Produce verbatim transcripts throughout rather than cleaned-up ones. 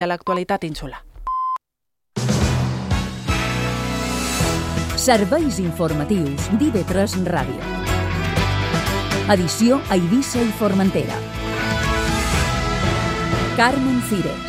a l'actualitat insular. Serveis informatius d'I V tres Ràdio. Edició a Eivissa i Formentera. Carmen Cires.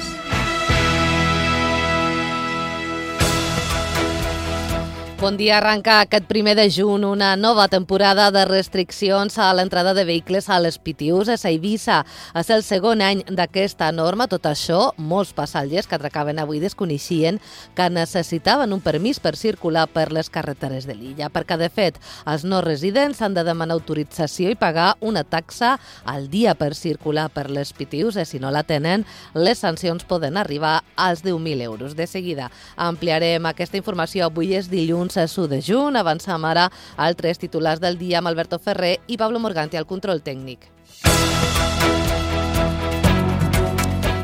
Bon dia. Arranca aquest primer de juny una nova temporada de restriccions a l'entrada de vehicles a les Pitiüses a Eivissa. És el segon any d'aquesta norma. Tot això, molts passatgers que atracaven avui desconeixien que necessitaven un permís per circular per les carreteres de l'illa, perquè, de fet, els no residents han de demanar autorització i pagar una taxa al dia per circular per les Pitiüses. Si no la tenen, les sancions poden arribar als deu mil euros. De seguida ampliarem aquesta informació. Avui és dilluns u de juny. Avancem ara a altres titulars del dia amb Alberto Ferrer i Pablo Morganti al control tècnic.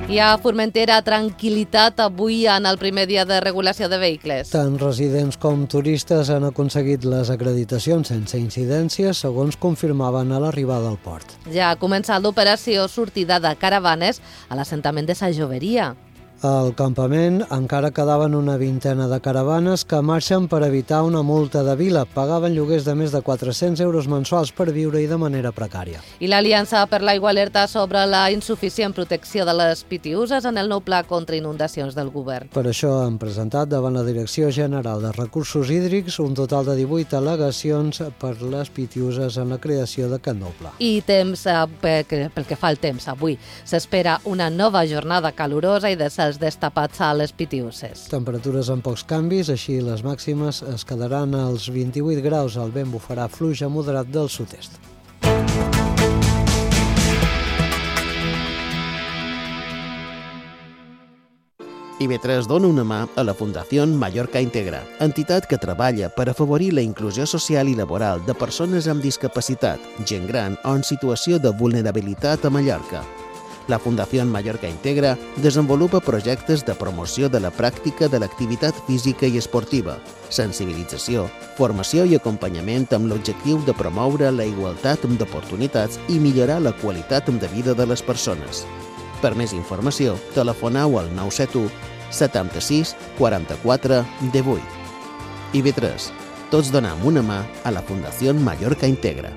Hi ha a Formentera tranquil·litat avui en el primer dia de regulació de vehicles. Tant residents com turistes han aconseguit les acreditacions sense incidències, segons confirmaven a l'arribada al port. Ja ha començat l'operació sortida de caravanes a l'assentament de Sa Joveria. Al campament encara quedaven una vintena de caravanes que marxen per evitar una multa de vila. Pagaven lloguers de més de quatre-cents euros mensuals per viure-hi de manera precària. I l'Aliança per l'Aigua alerta sobre la insuficient protecció de les Pitiüses en el nou pla contra inundacions del govern. Per això han presentat davant la Direcció General de Recursos Hídrics un total de divuit al·legacions per les Pitiüses en la creació d'aquest nou pla. I temps, pel que fa al temps, avui s'espera una nova jornada calorosa i de cels destapats a les Pitiüses. Temperatures amb pocs canvis, així les màximes es quedaran als vint-i-vuit graus. El vent bufarà fluix a moderat del sud-est. I V tres dona una mà a la Fundació Mallorca Integra, entitat que treballa per afavorir la inclusió social i laboral de persones amb discapacitat, gent gran o en situació de vulnerabilitat a Mallorca. La Fundació Mallorca Integra desenvolupa projectes de promoció de la pràctica de l'activitat física i esportiva, sensibilització, formació i acompanyament amb l'objectiu de promoure la igualtat d'oportunitats i millorar la qualitat de vida de les persones. Per més informació, telefoneu al nou set u setanta-sis quaranta-quatre divuit. I V tres. Tots donem una mà a la Fundació Mallorca Integra.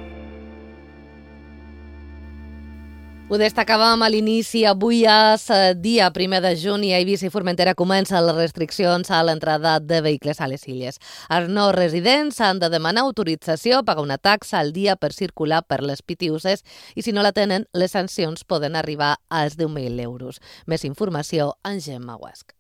Ho destacàvem a l'inici. Avui és dia primer de juny i a Eivissa i Formentera comencen les restriccions a l'entrada de vehicles a les illes. Els no residents han de demanar autorització, pagar una taxa al dia per circular per les Pitiüses i si no la tenen, les sancions poden arribar als deu mil euros. Més informació en Gemma Guasc.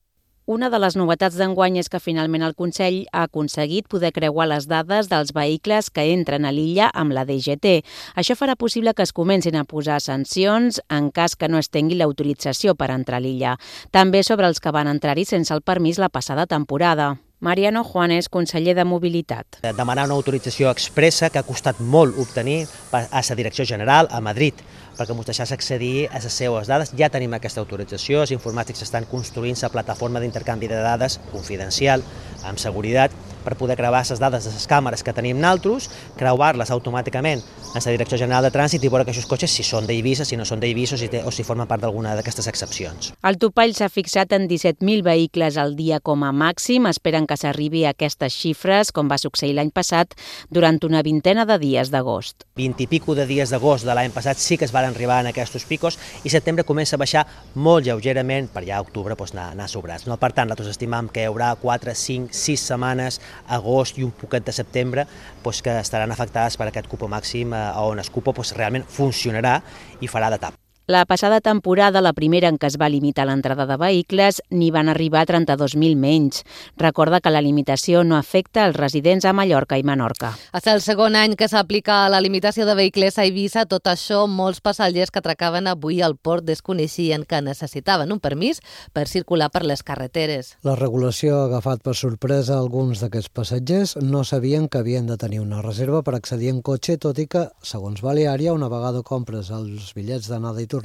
Una de les novetats d'enguany és que finalment el Consell ha aconseguit poder creuar les dades dels vehicles que entren a l'illa amb la D G T. Això farà possible que es comencin a posar sancions en cas que no es tingui l'autorització per entrar a l'illa. També sobre els que van entrar-hi sense el permís la passada temporada. Mariano Juanes, conseller de Mobilitat. Demanar una autorització expressa que ha costat molt obtenir a la Direcció General a Madrid, perquè ens deixés accedir a les seues dades. Ja tenim aquesta autorització, els informàtics estan construint la plataforma d'intercanvi de dades confidencial, amb seguretat, per poder creuar les dades de les càmeres que tenim nosaltres, creuar-les automàticament a la Direcció General de Trànsit i veure que aquests cotxes si són d'Eivissa, si no són d'Eivissa o si, o si formen part d'alguna d'aquestes excepcions. El topall s'ha fixat en disset mil vehicles al dia com a màxim. Esperen que s'arribi a aquestes xifres, com va succeir l'any passat, durant una vintena de dies d'agost. vint i pico de dies d'agost de l'any passat sí que es van arribar en aquests picos i setembre comença a baixar molt lleugerament per ja a octubre doncs, anar, anar sobrats. No? Per tant, nosaltres estimam que hi haurà quatre, cinc, sis setmanes, agost i un poquet de setembre doncs, que estaran afectades per aquest cupo màxim eh, on el cupo doncs, realment funcionarà i farà de tap. La passada temporada, la primera en què es va limitar l'entrada de vehicles, n'hi van arribar trenta-dos mil menys. Recorda que la limitació no afecta els residents a Mallorca i Menorca. És el segon any que s'aplica la limitació de vehicles a Eivissa. Tot això, molts passatgers que atracaven avui al port desconeixien que necessitaven un permís per circular per les carreteres. La regulació ha agafat per sorpresa alguns d'aquests passatgers. No sabien que havien de tenir una reserva per accedir en cotxe, tot i que, segons Baleària, una vegada compres els bitllets d'anada i tornada,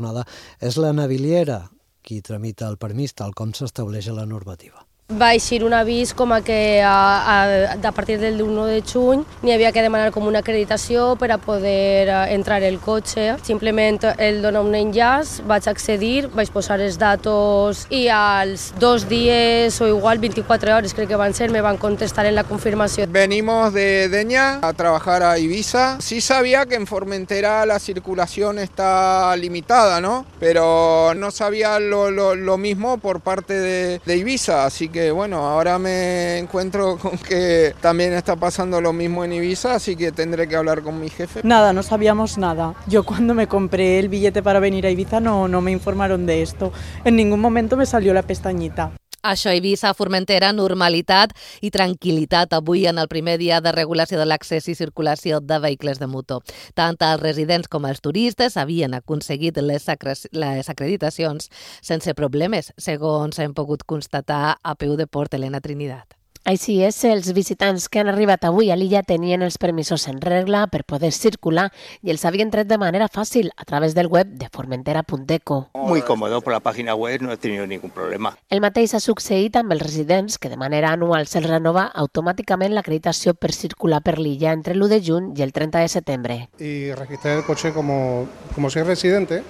és la naviliera qui tramita el permís tal com s'estableix a la normativa. Va eixir un avís com a que a, a, a partir del u de juny n'hi havia que demanar com una acreditació per a poder entrar el cotxe. Simplement el dona un enllaç, vaig accedir, vaig posar els datos i als dos dies o igual veinticuatro hores crec que van ser, me van contestar en la confirmació. Venimos de Deña a trabajar a Ibiza. Sí sabía que en Formentera la circulación está limitada, ¿no? Pero no sabía lo, lo, lo mismo por parte de, de Ibiza, así que que bueno, ahora me encuentro con que también está pasando lo mismo en Ibiza, así que tendré que hablar con mi jefe. Nada, no sabíamos nada. Yo cuando me compré el billete para venir a Ibiza no, no me informaron de esto. En ningún momento me salió la pestañita. Això a Eivissa, Formentera, normalitat i tranquil·litat avui en el primer dia de regulació de l'accés i circulació de vehicles de motor. Tant els residents com els turistes havien aconseguit les, les acreditacions sense problemes, segons hem pogut constatar a peu de Port Helena Trinidad. Així és, els visitants que han arribat avui a l'illa tenien els permisos en regla per poder circular i els havien tret de manera fàcil a través del web de formentera punt eco. Muy cómodo, por la página web no he tenido ningún problema. El mateix ha succeït amb els residents que de manera anual se'ls renova automàticament l'acreditació per circular per l'illa entre l'u de juny i el trenta de setembre. Y registrar el coche como, como soy residente,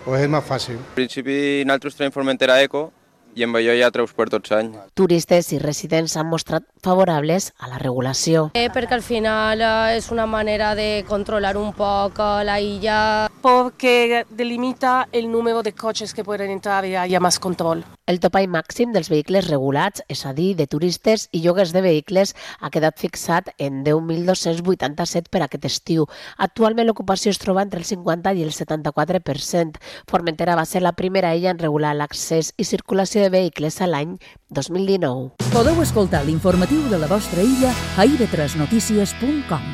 pues es más fàcil. En principi, nosaltres tenim Formentera Eco, i amb allò ja transport tots anys. Turistes i residents s'han mostrat favorables a la regulació. Eh, perquè al final eh, és una manera de controlar un poc la illa. Porque delimita el número de coches que pueden entrar y haya más control. El topall màxim dels vehicles regulats, és a dir, de turistes i lloguers de vehicles, ha quedat fixat en deu mil dos-cents vuitanta-set per aquest estiu. Actualment l'ocupació es troba entre el cinquanta i el setanta-quatre per cent. Formentera va ser la primera illa en regular l'accés i circulació de vehicles a l'any dos mil dinou. Podeu escoltar l'informatiu de la vostra illa a i be tres notícies punt com.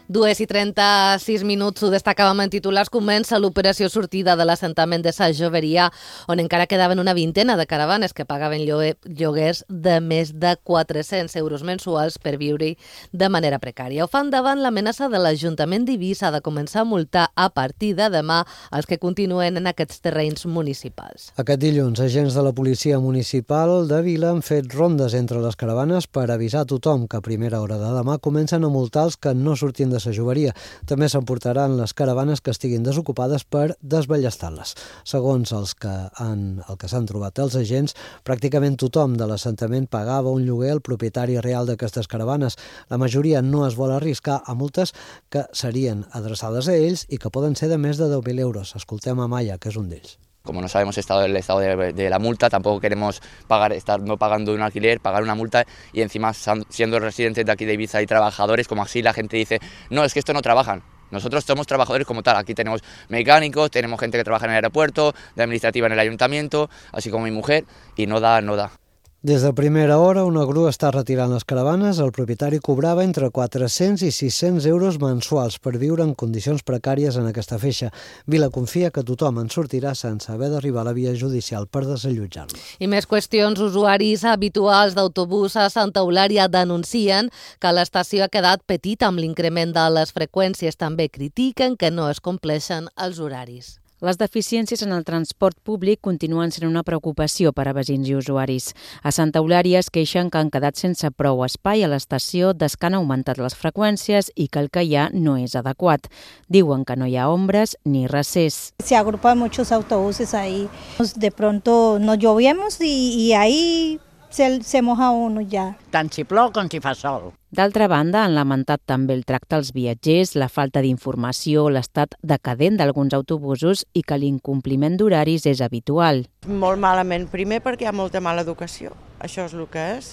Dues i trenta-sis minuts, ho destacàvem en titulars, comença l'operació sortida de l'assentament de Sa Joveria, on encara quedaven una vintena de caravanes que pagaven lloguers de més de quatre-cents euros mensuals per viure de manera precària. Ho fan davant l'amenaça de l'Ajuntament d'Eivissa de començar a multar a partir de demà els que continuen en aquests terrenys municipals. Aquest dilluns, agents de la Policia Municipal de Vila han fet rondes entre les caravanes per avisar a tothom que a primera hora de demà comencen a multar els que no surtin de Sa Joveria. També s'emportaran les caravanes que estiguin desocupades per desballestar-les. Segons els que han, el que s'han trobat els agents, pràcticament tothom de l'assentament pagava un lloguer al propietari real d'aquestes caravanes. La majoria no es vol arriscar a multes que serien adreçades a ells i que poden ser de més de deu mil euros. Escoltem a Maya, que és un d'ells. Como no sabemos estado el estado de, de la multa, tampoco queremos pagar, estar no pagando un alquiler, pagar una multa y encima siendo residentes de aquí de Ibiza y trabajadores, como así la gente dice, no, es que esto no trabajan. Nosotros somos trabajadores como tal, aquí tenemos mecánicos, tenemos gente que trabaja en el aeropuerto, de administrativa en el ayuntamiento, así como mi mujer, y no da, no da. Des de primera hora, una grua està retirant les caravanes. El propietari cobrava entre quatre-cents i sis-cents euros mensuals per viure en condicions precàries en aquesta feixa. Vila confia que tothom en sortirà sense haver d'arribar a la via judicial per desallotjar-lo. I més qüestions. Usuaris habituals d'autobús a Santa Eulària denuncien que l'estació ha quedat petita amb l'increment de les freqüències. També critiquen que no es compleixen els horaris. Les deficiències en el transport públic continuen sent una preocupació per a veïns i usuaris. A Santa Eulària es queixen que han quedat sense prou espai a l'estació des que han augmentat les freqüències i que el que hi ha no és adequat. Diuen que no hi ha ombres ni recés. Se agrupan muchos autobuses ahí. De pronto nos llovemos y, y ahí se, se moja uno ya. Tant si plou com si fa sol. D'altra banda, han lamentat també el tracte als viatgers, la falta d'informació, l'estat decadent d'alguns autobusos i que l'incompliment d'horaris és habitual. Molt malament. Primer perquè hi ha molta mala educació, això és el que és.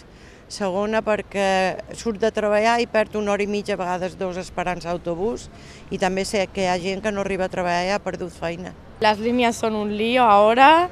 Segona perquè surt de treballar i perd una hora i mitja, a vegades dos, esperant l'autobús, i també sé que hi ha gent que no arriba a treballar i ha perdut feina. Las líneas son un lío ahora.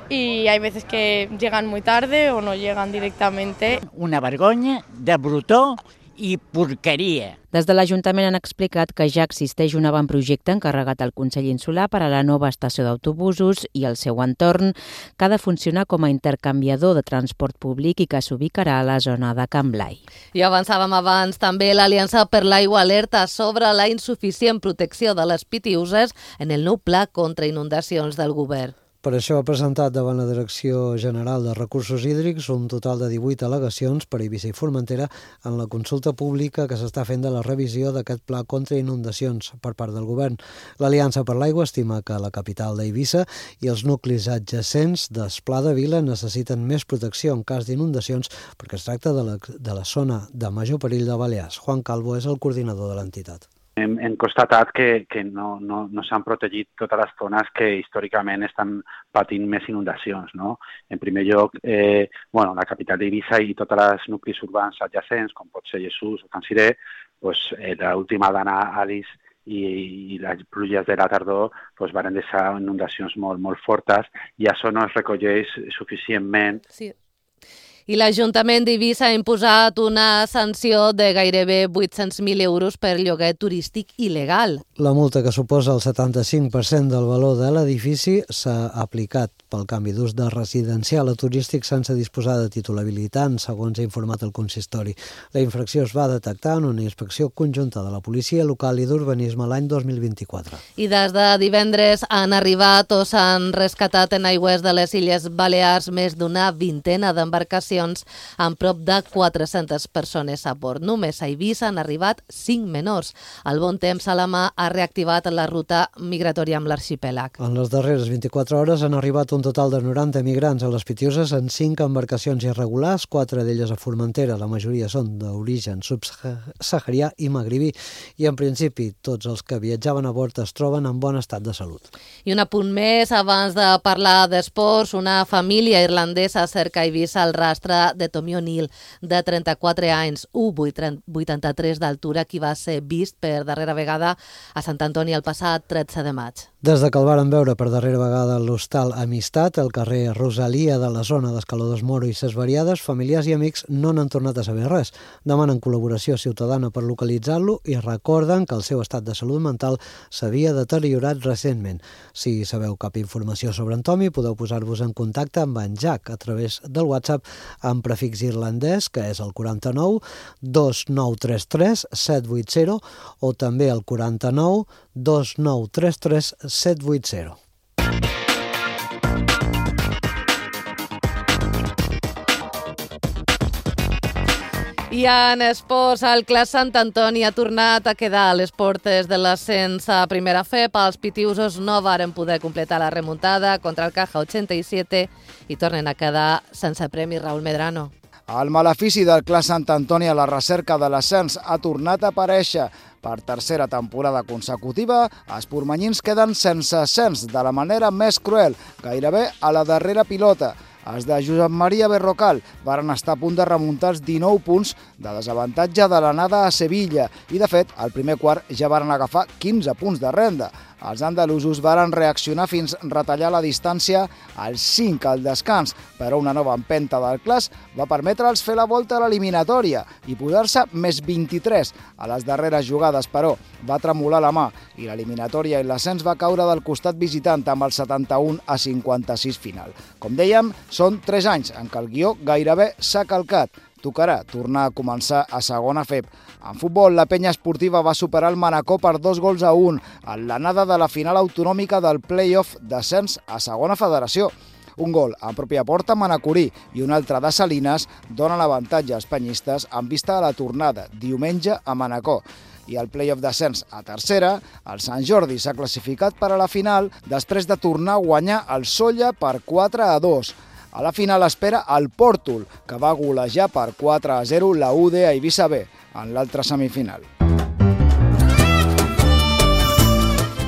Y hay veces que llegan muy tarde o no llegan directamente. Una vergonya de brutó i porqueria. Des de l'Ajuntament han explicat que ja existeix un avantprojecte encarregat al Consell Insular per a la nova estació d'autobusos i el seu entorn, que ha de funcionar com a intercanviador de transport públic i que s'ubicarà a la zona de Can Blai. I avançàvem abans també l'Aliança per l'Aigua alerta sobre la insuficient protecció de les pitiüses en el nou pla contra inundacions del govern. Per això ha presentat davant la Direcció General de Recursos Hídrics un total de divuit al·legacions per Eivissa i Formentera en la consulta pública que s'està fent de la revisió d'aquest pla contra inundacions per part del govern. L'Aliança per l'Aigua estima que la capital d'Eivissa i els nuclis adjacents d'Esplà de Vila necessiten més protecció en cas d'inundacions perquè es tracta de la, de la zona de major perill de Balears. Juan Calvo és el coordinador de l'entitat. Hem, hem constatat que, que no, no, no s'han protegit totes les zones que històricament estan patint més inundacions, no? En primer lloc, eh, bueno, la capital d'Eivissa i tots els nuclis urbans adjacents, com pot ser Jesús o Can Siré, pues, eh, l'última dana Alice i, i les pluges de la tardor pues, van deixar inundacions molt, molt fortes i això no es recolleix suficientment. Sí. I l'Ajuntament d'Eivissa ha imposat una sanció de gairebé vuit-cents mil euros per lloguer turístic il·legal. La multa, que suposa el setanta-cinc per cent del valor de l'edifici, s'ha aplicat pel canvi d'ús de residencial a turístic sense disposar de títol habilitant, segons ha informat el consistori. La infracció es va detectar en una inspecció conjunta de la Policia Local i d'Urbanisme l'any dos mil vint-i-quatre. I des de divendres han arribat o s'han rescatat en aigües de les Illes Balears més d'una vintena d'embarcacions amb prop de quatre-centes persones a bord. Només a Eivissa han arribat cinc menors. El bon temps a la mà ha reactivat la ruta migratòria amb l'arxipèlag. En les darreres vint-i-quatre hores han arribat un total de noranta migrants a les Pitiüses en cinc embarcacions irregulars, quatre d'elles a Formentera. La majoria són d'origen subsaharià i magribí. I en principi tots els que viatjaven a bord es troben en bon estat de salut. I un apunt més abans de parlar d'esports. Una família irlandesa cerca a Eivissa al rastre de Tommy O'Neill, de trenta-quatre anys, u coma vuitanta-tres d'altura, qui va ser vist per darrera vegada a Sant Antoni el passat tretze de maig. Des de que el varen veure per darrera vegada a l'hostal Amistat, al carrer Rosalia de la zona d'Escaladors Moro i Ses Variades, familiars i amics no n'han tornat a saber res. Demanen col·laboració ciutadana per localitzar-lo i recorden que el seu estat de salut mental s'havia deteriorat recentment. Si sabeu cap informació sobre en Tommy, podeu posar-vos en contacte amb en Jack a través del WhatsApp amb prefix irlandès, que és el quaranta-nou dos nou tres tres set vuit zero o també el quaranta-nou dos nou tres tres set vuit zero. I en esports, el Clas Sant Antoni ha tornat a quedar a les portes de l'ascens a primera F E P. Els pitiusos no varen poder completar la remuntada contra el Caja ochenta-siete i tornen a quedar sense premi. Raúl Medrano. El malefici del Clas Sant Antoni a la recerca de l'ascens ha tornat a aparèixer. Per tercera temporada consecutiva, els pormanyins queden sense ascens de la manera més cruel, gairebé a la darrera pilota. Els de Josep Maria Berrocal varen estar a punt de remuntar els dinou punts de desavantatge de l'anada a Sevilla i, de fet, al primer quart ja varen agafar quinze punts de renda. Els andalusos varen reaccionar fins a retallar la distància als cinc al descans, però una nova empenta del Clas va permetre'ls fer la volta a l'eliminatòria i posar-se més vint-i-tres. A les darreres jugades, però, va tremolar la mà i l'eliminatòria i l'ascens va caure del costat visitant amb el setanta-un a cinquanta-sis final. Com dèiem, són tres anys en què el guió gairebé s'ha calcat. Tocarà tornar a començar a segona F E P. En futbol, la penya esportiva va superar el Manacor per dos gols a un en l'anada de la final autonòmica del play-off d'ascens a segona federació. Un gol en pròpia porta manacorí i un altre de Salines donen l'avantatge als penyistes en vista de la tornada diumenge a Manacor. I el play-off d'ascens a tercera, el Sant Jordi s'ha classificat per a la final després de tornar a guanyar el Sóller per quatre a dos. A la final espera el Pòrtol, que va golejar per quatre a zero la U D a Eivissa B en l'altra semifinal.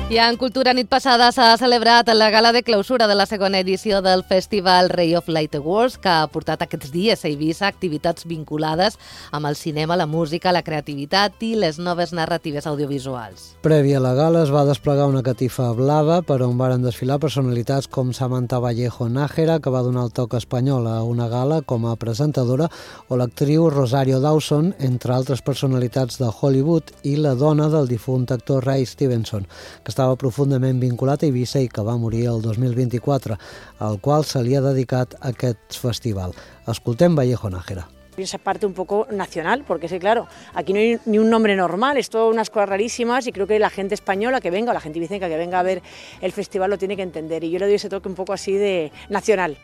I en Cultura nit passada s'ha celebrat la gala de clausura de la segona edició del Festival Ray of Light Awards, que ha portat aquests dies a Eivissa activitats vinculades amb el cinema, la música, la creativitat i les noves narratives audiovisuals. Prèvia a la gala es va desplegar una catifa blava per on varen desfilar personalitats com Samantha Vallejo Nájera, que va donar el toc espanyol a una gala com a presentadora, o l'actriu Rosario Dawson, entre altres personalitats de Hollywood, i la dona del difunt actor Ray Stevenson, que estava profundament vinculat a Eivissa i que va morir el dos mil vint-i-quatre, al qual se li ha dedicat aquest festival. Escoltem Vallejo Nájera. Esa parte un poco nacional, porque sí, claro, aquí no hay ni un nombre normal, es todo unas cosas rarísimas y creo que la gente española que venga, o la gente ibicenca que venga a ver el festival lo tiene que entender y yo le doy ese toque un poco así de nacional.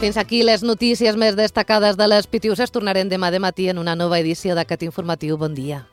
Fins aquí les notícies més destacades de les Pitiuses. Tornarem demà de matí en una nova edició d'aquest informatiu. Bon dia.